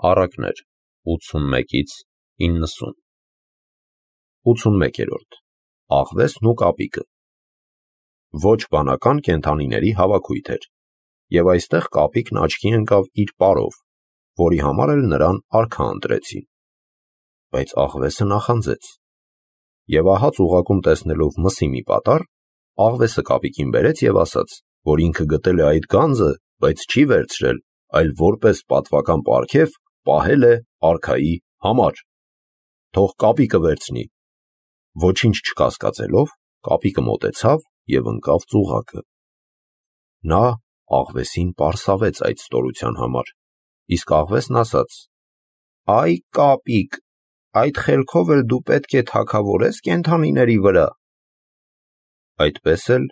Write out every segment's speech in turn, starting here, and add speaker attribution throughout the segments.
Speaker 1: Առակներ 81-ից 90 81-րդ Աղվեսն ու կապիկը ոչ բանական կենդանիների հավաքույթ էր, և այստեղ կապիկն աչքի ընկավ իր պարով, որի համար էլ նրան արքա ընտրեցին, բայց աղվեսը նախանձեց, և ահա ծուղակում տեսնելով մսի մի պատառ, աղվեսը կապիկին բերեց և ասաց, որ ինքը գտել է այդ գանձը, բայց չի վերցրել, այլ որպես պատվական պարգև պահել է արքայի համար, թող կապիկը վերցնի, ոչինչ չկասկածելով, կապիկը մոտեցավ և ընկավ ծուղակը, նա աղվեսին պարսավեց այդ ստորության համար, իսկ աղվեսն ասաց. «Այ կապիկ, այդ խելքով էլ դու պետք է թագավորես կենդանիների վրա»։ Այդպես էլ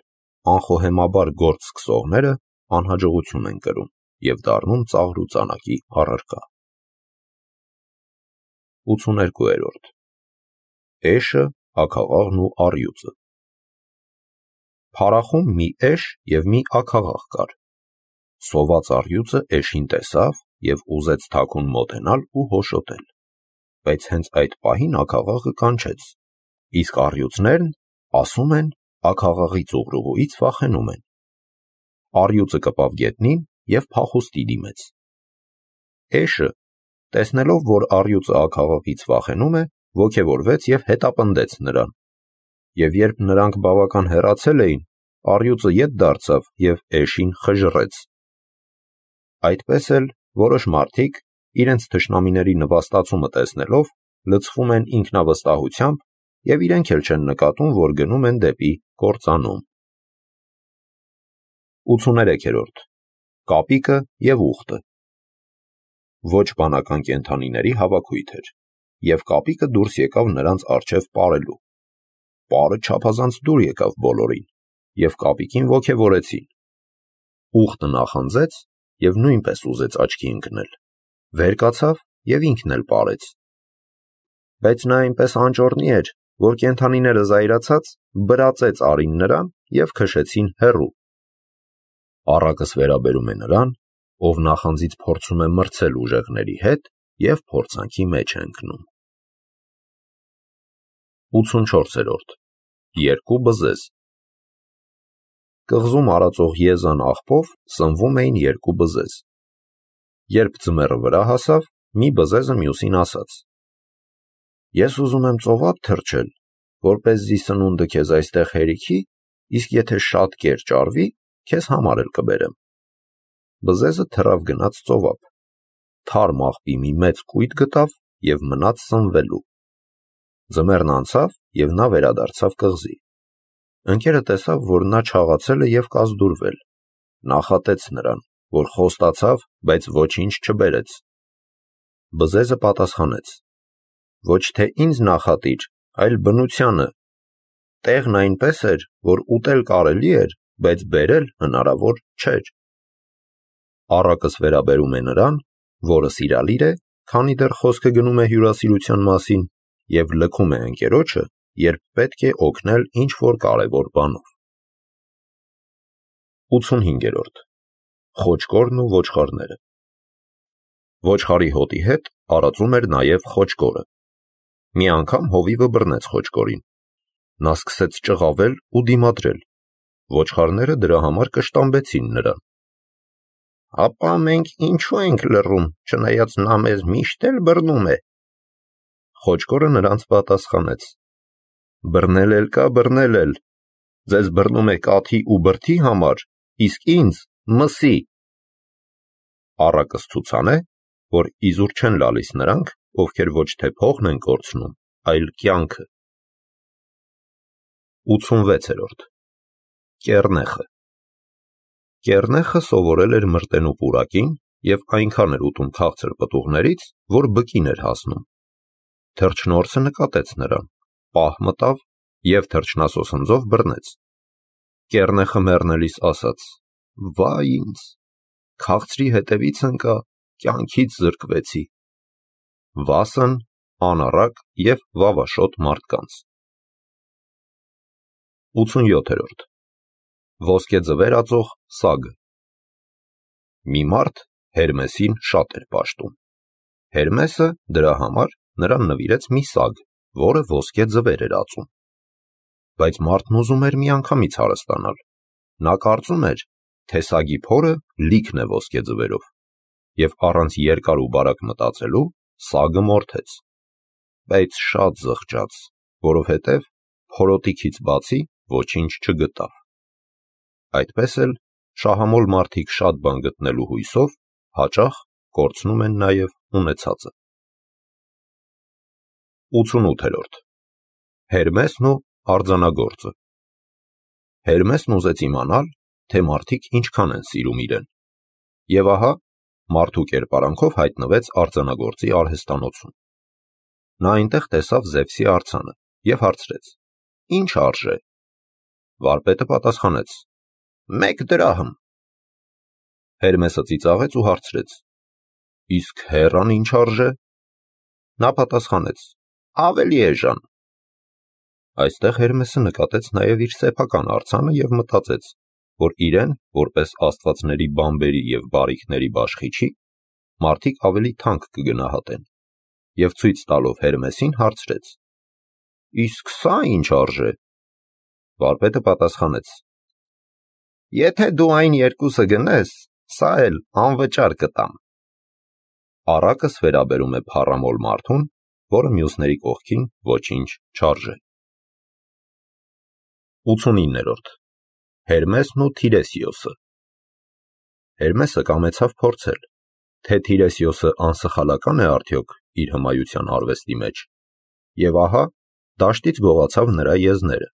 Speaker 1: անխոհեմաբար գործ սկսողները անհաջողություն են կրում և դառնում ծաղր ու ծանակի առարկա։ 82-րդ Էշը, աքաղաղն ու առյուծը Փարախում մի էշ և մի աքաղաղ կար։ Սոված առյուծը էշին տեսավ և ուզեց թաքուն մոտենալ ու հոշոտել, բայց հենց այդ պահին աքաղաղը կանչեց, իսկ առյուծներն ասում են աքաղաղի ծուռուղուից վախենում են։ Առյուծը կպավ գետնին և փախուստի դիմեց։ Էշը, տեսնելով, որ առյուծը աքաղաղից վախենում է, ոգևորվեց և հետապնդեց նրան, և երբ նրանք բավական հեռացել էին, առյուծը ետ դարձավ և էշին խժռեց։ Այդպես էլ որոշ մարդիկ, իրենց թշնամիների նվաստացումը տեսնելով, լցվում են ինքնավստահությամբ և իրենք էլ չեն նկատում, որ գնում են դեպի կործանում։ 83-րդ Կապիկը և ուղտը Ոչ բանական կենդանիների հավաքույթ էր, և կապիկը դուրս եկավ նրանց առջև պարելու։ Պարը չափազանց դուր եկավ բոլորին, և կապիկին ոգևորեցին։ Ուղտը նախանձեց և նույնպես ուզեց աչքի ընկնել, վեր կացավ և ինքն էլ պարեց։ Բայց նա այնպես անճոռնի էր, որ կենդանիները զայրացած բրածեց արին նրան և քշեցին հեռու։ Առակս վերաբերում է նրան, ով նախանձից փորձում է մրցել ուժեղների հետ և փորձանքի մեջ է ընկնում։ 84-րդ Երկու բզեզ Կղզում արածող Եզան աղբով սնվում էին երկու բզեզ։ Երբ ձմեռը վրա հասավ, մի բզեզը մյուսին ասաց. «Ես ուզում եմ ծովափ թռչել, որպեսզի սնունդը քեզ այստեղ հերիքի, իսկ եթե շատ կեր ճարվի, քեզ համար էլ կբերեմ»։ Բզեզը թռավ գնաց ծովափ, թարմ աղբի մի մեծ կույտ գտավ և մնաց սնվելու։ Ձմեռն անցավ, և նա վերադարձավ կղզի։ Ընկերը տեսավ, որ նա չաղացել է և կազդուրվել, նախատեց նրան, որ խոստացավ, բայց ոչինչ չբերեց։ Բզեզը պատասխանեց. «Ոչ թե ինձ նախատիր, այլ բնությանը. տեղն այնպես էր, որ ուտել կարելի էր, բայց բերել հնարավոր չէր»։ Առակս վերաբերում է նրան, որը սիրալիր է, քանի դեռ խոսքը գնում է հյուրասիրության մասին, և լքում է ընկերոջը, երբ պետք է օգնել ինչ-որ կարևոր բանով։ 85-րդ Խոճկորն ու ոչխարները Ոչխարի հոտի հետ արածում էր նաև խոճկորը։ Մի անգամ հովիվը բռնեց խոճկորին։ Նա սկսեց ճղավել ու դիմադրել։ Ոչխարները դրա համար կշտամբեցին նրան։ «Ապա մենք ինչու ենք լռում, չնայած նա մեզ միշտ էլ բռնում է»։ Խոճկորը նրանց պատասխանեց. «Բռնել էլ կա, բռնել էլ։ Ձեզ բռնում է կաթի ու բրդի համար, իսկ ինձ՝ մսի»։ Առակս ցուցան է, որ իզուր չեն լալիս նրանք, ովքեր ոչ թե փողն են կորցնում, այլ կյանքը։ 86-րդ Կեռնեխը Կեռնեխը սովորել էր մրտենու պուրակին և այնքան էր ուտում քաղցր պտուղներից, որ բկին էր հասնում։ Թռչնորսը նկատեց նրան, պահ մտավ և թռչնասոսնձով բռնեց։ Կեռնեխը մեռնելիս ասաց. «Վայ ինձ, քաղցրի հետևից ընկա, կյանքից զրկվեցի»։ Վասն, անառակ և վավաշոտ մարդկանց։ 87-րդ Ոսկե ձվեր ածող սագը Մի մարդ Հերմեսին շատ էր պաշտում։ Հերմեսը դրա համար նրան նվիրեց մի սագ, որը ոսկե ձվեր էր ածում։ Բայց մարդն ուզում էր միանգամից հարստանալ։ Նա կարծում էր, թե սագի փորը լիքն է ոսկե ձվերով, և առանց երկար ու բարակ մտածելու սագը մորթեց։ Բայց շատ զղջաց, որովհետև փորոտիքից բացի ոչինչ չգտավ։ Այդպես էլ շահամոլ մարդիկ շատ բան գտնելու հույսով հաճախ կորցնում են նաև ունեցածը։ 88-րդ Հերմեսն ու արձանագործը։ Հերմեսն ուզեց իմանալ, թե մարդիկ ինչքան են սիրում իրեն։ Եվ ահա, մարդու կերպարանքով հայտնվեց արձանագործի արհեստանոցում։ Նա այնտեղ տեսավ Զևսի արձանը և հարցրեց. «Ինչ արժե»։ Վարպետը պատասխանեց. «1 դրահմ»։ Հերմեսը ծիծաղեց ու հարցրեց. «Իսկ հեռան ինչ արժե»։ Նա պատասխանեց. «Ավելի էժան»։ Այստեղ Հերմեսը նկատեց նաև իր սեփական արձանը և մտածեց, որ իրեն, որպես աստվածների բանբերի և բարիքների բաշխիչի, մարդիկ ավելի թանկ կգնահատեն, և ցույց տալով Հերմեսին հարցրեց. «Իսկ սա ինչ արժե»։ Վարպետը պատասխանեց. «Եթե դու այն երկուսը գնես, սա էլ անվճար կտամ»։ Առակս վերաբերում է փառամոլ մարդուն, որը մյուսների կողքին ոչինչ չարժե։ 89-րդ Հերմեսն ու Թիրեսիոսը։ Հերմեսը կամեցավ փորձել, թե Թիրեսիոսը անսխալական է արդյոք իր հմայության արվեստի մեջ, և ահա, դաշտից գողացավ նրա եզները,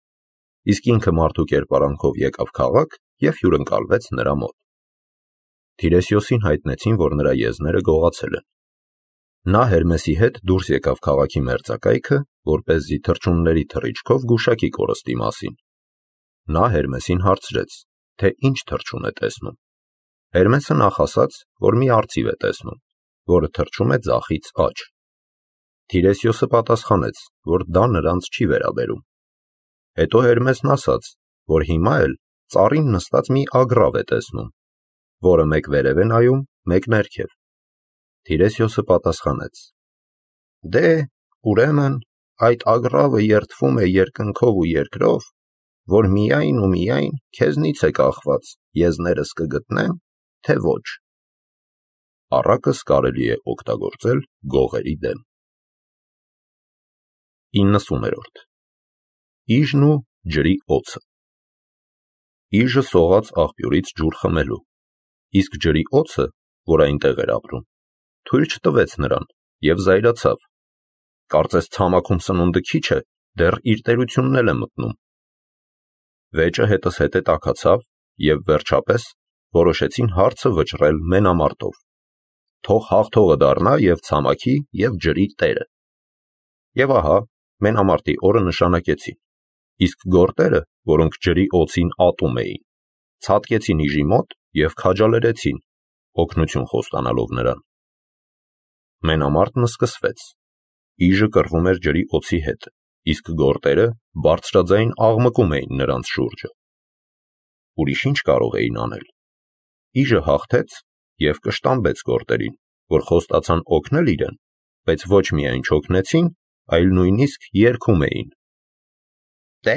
Speaker 1: իսկ ինքը մարդու կերպարանքով եկավ քաղաք և հյուրընկալվեց նրա մոտ։ Թիրեսիոսին հայտնեցին, որ նրա եզները գողացել են։ Նա Հերմեսի հետ դուրս եկավ քաղաքի մերձակայքը, որպեսզի թռչունների թռիչքով գուշակի կորստի մասին։ Նա Հերմեսին հարցրեց, թե ինչ թռչուն է տեսնում։ Հերմեսը նախ ասաց, որ մի արծիվ է տեսնում, որը թռչում է ձախից աջ։ Թիրեսիոսը պատասխանեց, որ դա նրանց չի վերաբերում։ Հետո Հերմեսն ասաց, որ հիմա էլ ծառին նստած մի ագռավ է տեսնում, որը մեկ վերև է նայում, մեկ ներքև։ Թիրեսիոսը պատասխանեց. «Դե, ուրեմն, այդ ագռավը երդվում է երկնքով ու երկրով, որ միայն ու միայն քեզնից է կախված եզներս կգտնեմ, թե ոչ»։ Առակս կարելի է օգտագործել գողերի դեմ։ 90-րդ Իժն ու ջրի օձը։ Իժը սողաց աղբյուրից ջուր խմելու, իսկ ջրի օձը, որ այնտեղ էր ապրում, թույլ չտվեց նրան և զայրացավ։ Կարծես ցամաքում սնունդը քիչ է, դեռ իր տերությունն էլ է մտնում։ Վեճը հետզհետե տաքացավ և վերջապես որոշեցին հարցը վճռել մենամարտով։ Թող հաղթողը դառնա և ցամաքի և ջրի տերը։ Եվ ահա, մենամարտի օրը նշանակեցին, իսկ գորտերը, որոնք ջրի օձին ատում էին, ցատկեցին իժի մոտ և քաջալերեցին, օգնություն խոստանալով նրան։ Մենամարտն սկսվեց։ Իժը կռվում էր ջրի օձի հետ, իսկ գորտերը բարձրաձայն աղմկում էին նրանց շուրջը։ Ուրիշ ինչ կարող էին անել։ Իժը հաղթեց և կշտամբեց գորտերին, որ խոստացան օգնել իրեն, բայց ոչ միայն չօգնեցին, այլ նույնիսկ երգում էին. «Դե,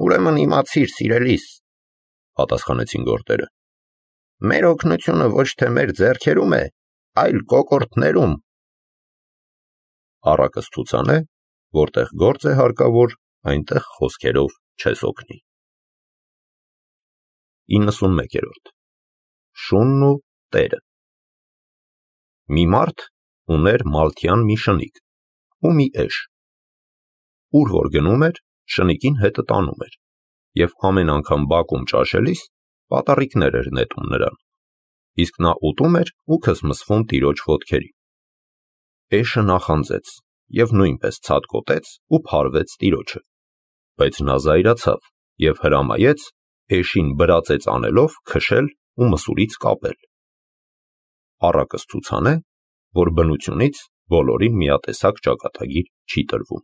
Speaker 1: ուրեմն իմացիր, սիրելիս», պատասխանեցին գորտերը, «մեր օգնությունը ոչ թե մեր ձեռքերում է, այլ կոկորդներում»։ Առակս ցուցանե, որտեղ գործ է հարկավոր, այնտեղ խոսքերով չես օգնի։ 91-րդ Շունն ու տերը։ Մի մարդ ուներ մալթյան մի շնիկ ու մի էշ։ Ուր որ գնում էր, շնիկին հետը տանում էր, և ամեն անգամ բակում ճաշելիս պատառիկներ էր նետում նրան, իսկ նա ուտում էր ու քսմսվում տիրոջ ոտքերին։ Էշը նախանձեց և նույնպես ցատկոտեց ու փարվեց տիրոջը, բայց նա զայրացավ և հրամայեց էշին բրածեց անելով քշել ու մսուրից կապել։ Առակս ցուցանե, որ բնությունից բոլորին միատեսակ ճակատագիր չի տրվում։